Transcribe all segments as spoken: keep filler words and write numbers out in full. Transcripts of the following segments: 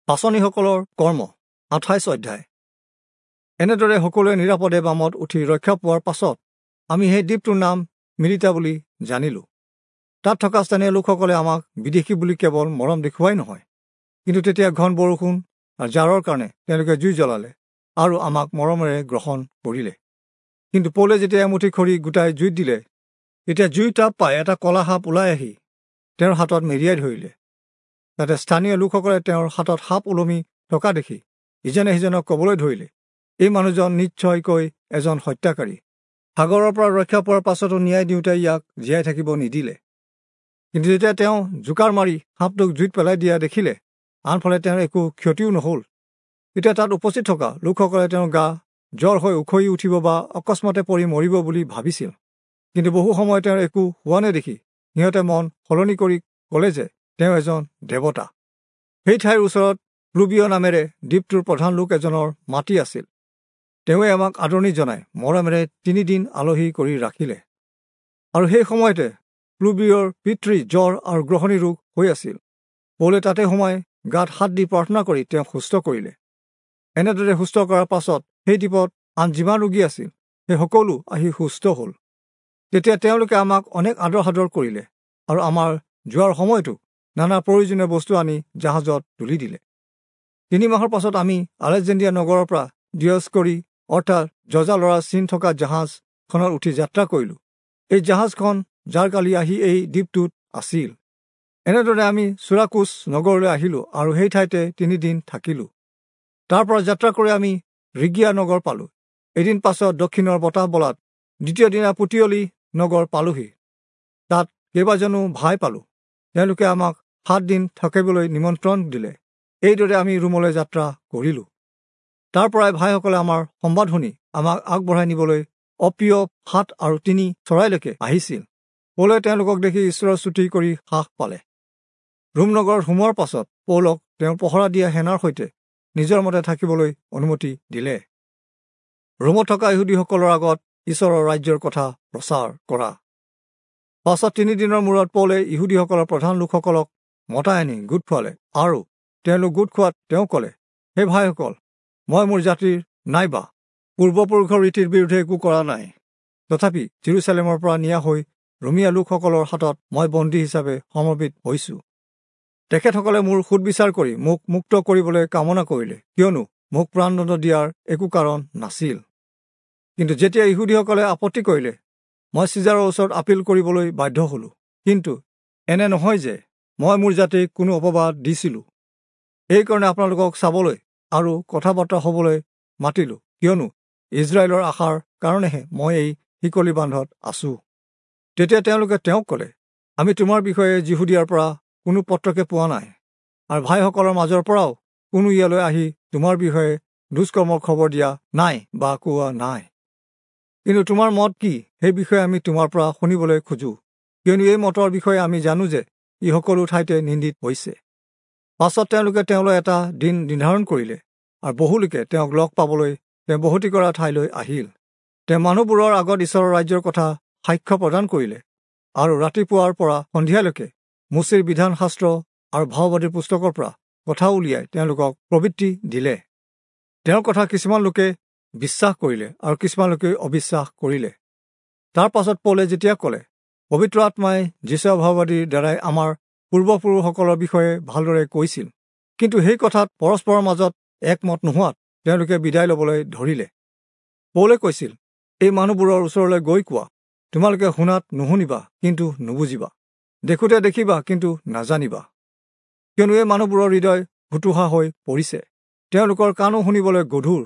পাঁচনিসকলৰ কৰ্ম আঠাইছ অধ্যায়। এনেদৰে সকলোৱে নিৰাপদে বামত উঠি ৰক্ষা পোৱাৰ পাছত আমি সেই দ্বীপটোৰ নাম মিলিতা বুলি জানিলোঁ। তাত থকা স্থানীয় লোকসকলে আমাক বিদেশী বুলি কেৱল মৰম দেখুৱাই নহয়, কিন্তু তেতিয়া ঘন বৰষুণ আৰু জাৰৰ কাৰণে তেওঁলোকে জুই জ্বলালে আৰু আমাক মৰমেৰে গ্ৰহণ কৰিলে। কিন্তু পৌলে যেতিয়া এমুঠি খৰি গোটাই জুইত দিলে, তেতিয়া জুই তাপ পাই এটা কলা সাপ ওলাই আহি তেওঁৰ হাতত মেৰিয়াই ধৰিলে। তাতে স্থানীয় লোকসকলে তেওঁৰ হাতত সাপ ওলমি থকা দেখি ইজনে সিজনক ক'বলৈ ধৰিলে, এই মানুহজন নিশ্চয়কৈ এজন হত্যাকাৰী। সাগৰৰ পৰা ৰক্ষা পোৱাৰ পাছতো ন্যায় দিওঁতে ইয়াক জীয়াই থাকিব নিদিলে। কিন্তু যেতিয়া তেওঁ জোকাৰ মাৰি সাপটোক জুইত পেলাই দিয়া দেখিলে, আনফালে তেওঁৰ একো ক্ষতিও নহ'ল, তেতিয়া তাত উপস্থিত থকা লোকসকলে তেওঁৰ গা জ্বৰ হৈ উখহি উঠিব বা অকস্মাতে পৰি মৰিব বুলি ভাবিছিল। কিন্তু বহু সময় তেওঁৰ একো হোৱা নেদেখি সিহঁতে মন সলনি কৰি ক'লে যে তেওঁ এজন দেৱতা। সেই ঠাইৰ ওচৰত প্লুবিয় নামেৰে দ্বীপটোৰ প্ৰধান লোক এজনৰ মাটি আছিল। তেওঁৱে আমাক আদৰণি জনাই মৰমেৰে তিনিদিন আলহী কৰি ৰাখিলে। আৰু সেই সময়তে প্লুবিয়ৰ পিতৃ জ্বৰ আৰু গ্ৰহণী ৰোগ হৈ আছিল। পৌলে তাতে সোমাই গাত হাত দি প্ৰাৰ্থনা কৰি তেওঁক সুস্থ কৰিলে। এনেদৰে সুস্থ কৰাৰ পাছত সেই দ্বীপত আন যিমান ৰোগী আছিল সেই সকলো আহি সুস্থ হ'ল। তেতিয়া তেওঁলোকে আমাক অনেক আদৰ সাদৰ কৰিলে আৰু আমাৰ যোৱাৰ সময়তো নানা প্ৰয়োজনীয় বস্তু আনি জাহাজত তুলি দিলে। তিনি মাহৰ পাছত আমি আলেকজেণ্ড্ৰিয়া নগৰৰ পৰা দিয়স্কৰি অৰ্থাৎ যজা ল'ৰা চিন থকা জাহাজখনত উঠি যাত্ৰা কৰিলোঁ। এই জাহাজখন জাৰকালি আহি এই দ্বীপটোত আছিল। এনেদৰে আমি চুৰাকুচ নগৰলৈ আহিলোঁ আৰু সেই ঠাইতে তিনিদিন থাকিলোঁ। তাৰ পৰা যাত্ৰা কৰি আমি ৰিগিয়া নগৰ পালোঁ। এদিন পাছত দক্ষিণৰ বতাহ বলাত দ্বিতীয় দিনা পুতিয়লি নগৰ পালোহি। তাত কেইবাজনো ভাই পালোঁ। তেওঁলোকে আমাক সাত দিন থাকিবলৈ নিমন্ত্ৰণ দিলে। এইদৰে আমি ৰোমলৈ যাত্ৰা কৰিলোঁ। তাৰ পৰাই ভাইসকলে আমাৰ সম্বাদ শুনি আমাক আগবঢ়াই নিবলৈ অপ্ৰিয় সাত আৰু তিনি চৰাইলৈকে আহিছিল। পৌলে তেওঁলোকক দেখি ঈশ্বৰৰ স্তুতি কৰি সাহ পালে। ৰোম নগৰত সোমোৱাৰ পাছত পৌলক তেওঁ পহৰা দিয়া সেনাৰ সৈতে নিজৰ মতে থাকিবলৈ অনুমতি দিলে। ৰোমত থকা ইহুদীসকলৰ আগত ঈশ্বৰৰ ৰাজ্যৰ কথা প্ৰচাৰ কৰা। পাছত তিনিদিনৰ মূৰত পৌলে ইহুদীসকলৰ প্ৰধান লোকসকলক মতাই আনি গোট খোৱালে আৰু তেওঁলোক গোট খোৱাত তেওঁ ক'লে, হে ভাইসকল, মই মোৰ জাতিৰ নাইবা পূৰ্বপুৰুষৰ ৰীতিৰ বিৰুদ্ধে একো কৰা নাই। তথাপি জেৰুচালেমৰ পৰা নিয়া হৈ ৰোমীয়া লোকসকলৰ হাতত মই বন্দী হিচাপে সমৰ্পিত হৈছোঁ। তেখেতসকলে মোৰ সোধবিচাৰ কৰি মোক মুক্ত কৰিবলৈ কামনা কৰিলে, কিয়নো মোক প্ৰাণদণ্ড দিয়াৰ একো কাৰণ নাছিল। কিন্তু যেতিয়া ইহুদীসকলে আপত্তি কৰিলে, মই চিজাৰৰ ওচৰত আপিল কৰিবলৈ বাধ্য হ'লোঁ। কিন্তু এনে নহয় যে মই মোৰ জাতিক কোনো অপবাদ দিছিলোঁ। এইকাৰণে আপোনালোকক চাবলৈ আৰু কথা বতৰা হ'বলৈ মাতিলোঁ, কিয়নো ইজৰাইলৰ আশাৰ কাৰণেহে মই এই শিকলি বান্ধত আছোঁ। তেতিয়া তেওঁলোকে তেওঁক ক'লে, আমি তোমাৰ বিষয়ে যিহুদীয়াৰ পৰা কোনো পত্ৰকে পোৱা নাই, আৰু ভাইসকলৰ মাজৰ পৰাও কোনো ইয়ালৈ আহি তোমাৰ বিষয়ে দুষ্কৰ্মৰ খবৰ দিয়া নাই বা কোৱা নাই। কিন্তু তোমাৰ মত কি সেই বিষয়ে আমি তোমাৰ পৰা শুনিবলৈ খোজোঁ, কিয়নো এই মতৰ বিষয়ে আমি জানো যে ই সকলো ঠাইতে নিন্দিত হৈছে। পাছত তেওঁলোকে তেওঁলৈ এটা দিন নিৰ্ধাৰণ কৰিলে আৰু বহুলোকে তেওঁক লগ পাবলৈ তেওঁ বসতি কৰা ঠাইলৈ আহিল। তেওঁ মানুহবোৰৰ আগত ঈশ্বৰৰ ৰাজ্যৰ কথা সাক্ষ্য প্ৰদান কৰিলে আৰু ৰাতিপুৱাৰ পৰা সন্ধিয়ালৈকে মোচিৰ বিধানশাস্ত্ৰ আৰু ভাওবাদীৰ পুস্তকৰ পৰা কথা উলিয়াই তেওঁলোকক প্ৰবৃত্তি দিলে। তেওঁৰ কথা কিছুমান লোকে বিশ্বাস কৰিলে আৰু কিছুমান লোকে অবিশ্বাস কৰিলে। তাৰ পাছত পৌলে যেতিয়া ক'লে, পবিত্ৰ আত্মাই যিচয়া ভাওবাদীৰ দ্বাৰাই আমাৰ পূৰ্বপুৰুষসকলৰ বিষয়ে ভালদৰে কৈছিল, কিন্তু সেই কথাত পৰস্পৰৰ মাজত একমত নোহোৱাত তেওঁলোকে বিদায় ল'বলৈ ধৰিলে। পৌলে কৈছিল, এই মানুহবোৰৰ ওচৰলৈ গৈ কোৱা, তোমালোকে শুনাত নুশুনিবা কিন্তু নুবুজিবা, দেখোঁতে দেখিবা কিন্তু নাজানিবা। কিয়নো এই মানুহবোৰৰ হৃদয় হুতুহা হৈ পৰিছে, তেওঁলোকৰ কাণো শুনিবলৈ গধুৰ।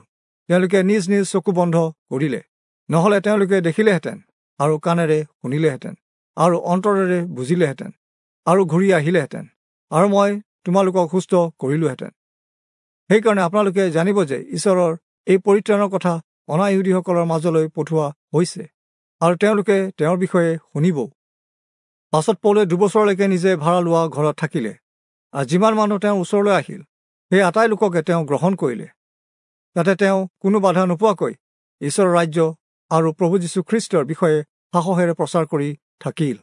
তেওঁলোকে নিজ নিজ চকু বন্ধ কৰিলে, নহ'লে তেওঁলোকে দেখিলেহেঁতেন আৰু কাণেৰে শুনিলেহেঁতেন আৰু অন্তৰেৰে বুজিলেহেঁতেন আৰু ঘূৰি আহিলেহেঁতেন, আৰু মই তোমালোকক সুস্থ কৰিলোহেঁতেন। সেইকাৰণে আপোনালোকে জানিব যে ঈশ্বৰৰ এই পৰিত্ৰাণৰ কথা অনা-ইহুদীসকলৰ মাজলৈ পঠোৱা হৈছে আৰু তেওঁলোকে তেওঁৰ বিষয়ে শুনিবও। পাছত পৌলে দুবছৰলৈকে নিজে ভাড়া লোৱা ঘৰত থাকিলে আৰু যিমান মানুহ তেওঁৰ ওচৰলৈ আহিল সেই আটাই লোককে তেওঁ গ্ৰহণ কৰিলে। তাতে তেওঁ কোনো বাধা নোপোৱাকৈ ঈশ্বৰৰ ৰাজ্য আৰু প্ৰভু যীশুখ্ৰীষ্টৰ বিষয়ে সাহসেৰে প্ৰচাৰ কৰি থাকিল।